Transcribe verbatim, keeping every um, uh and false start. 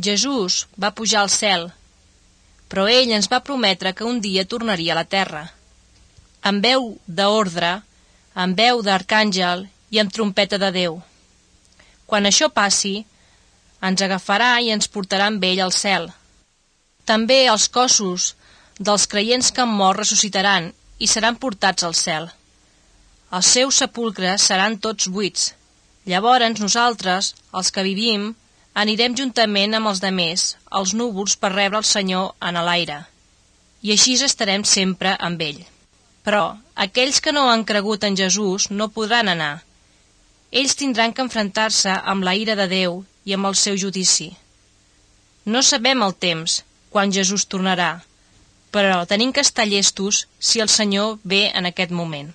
Jesús va pujar al cel, però ell ens va prometre que un dia tornaria a la terra, amb veu d'ordre, amb veu d'arcàngel i amb trompeta de Déu. Quan això passi, ens agafarà i ens portarà amb ell al cel. També els cossos dels creients que han mort ressuscitaran i seran portats al cel. Els seus sepulcres seran tots buits. Llavors nosaltres, els que vivim, anirem juntament amb els demés, als núvols, per rebre el Senyor en l'aire. I així estarem sempre amb ell. Però aquells que no han cregut en Jesús no podran anar. Ells tindran que enfrontar-se amb la ira de Déu i amb el seu judici. No sabem el temps, quan Jesús tornarà, però tenim que estar llestos si el Senyor ve en aquest moment.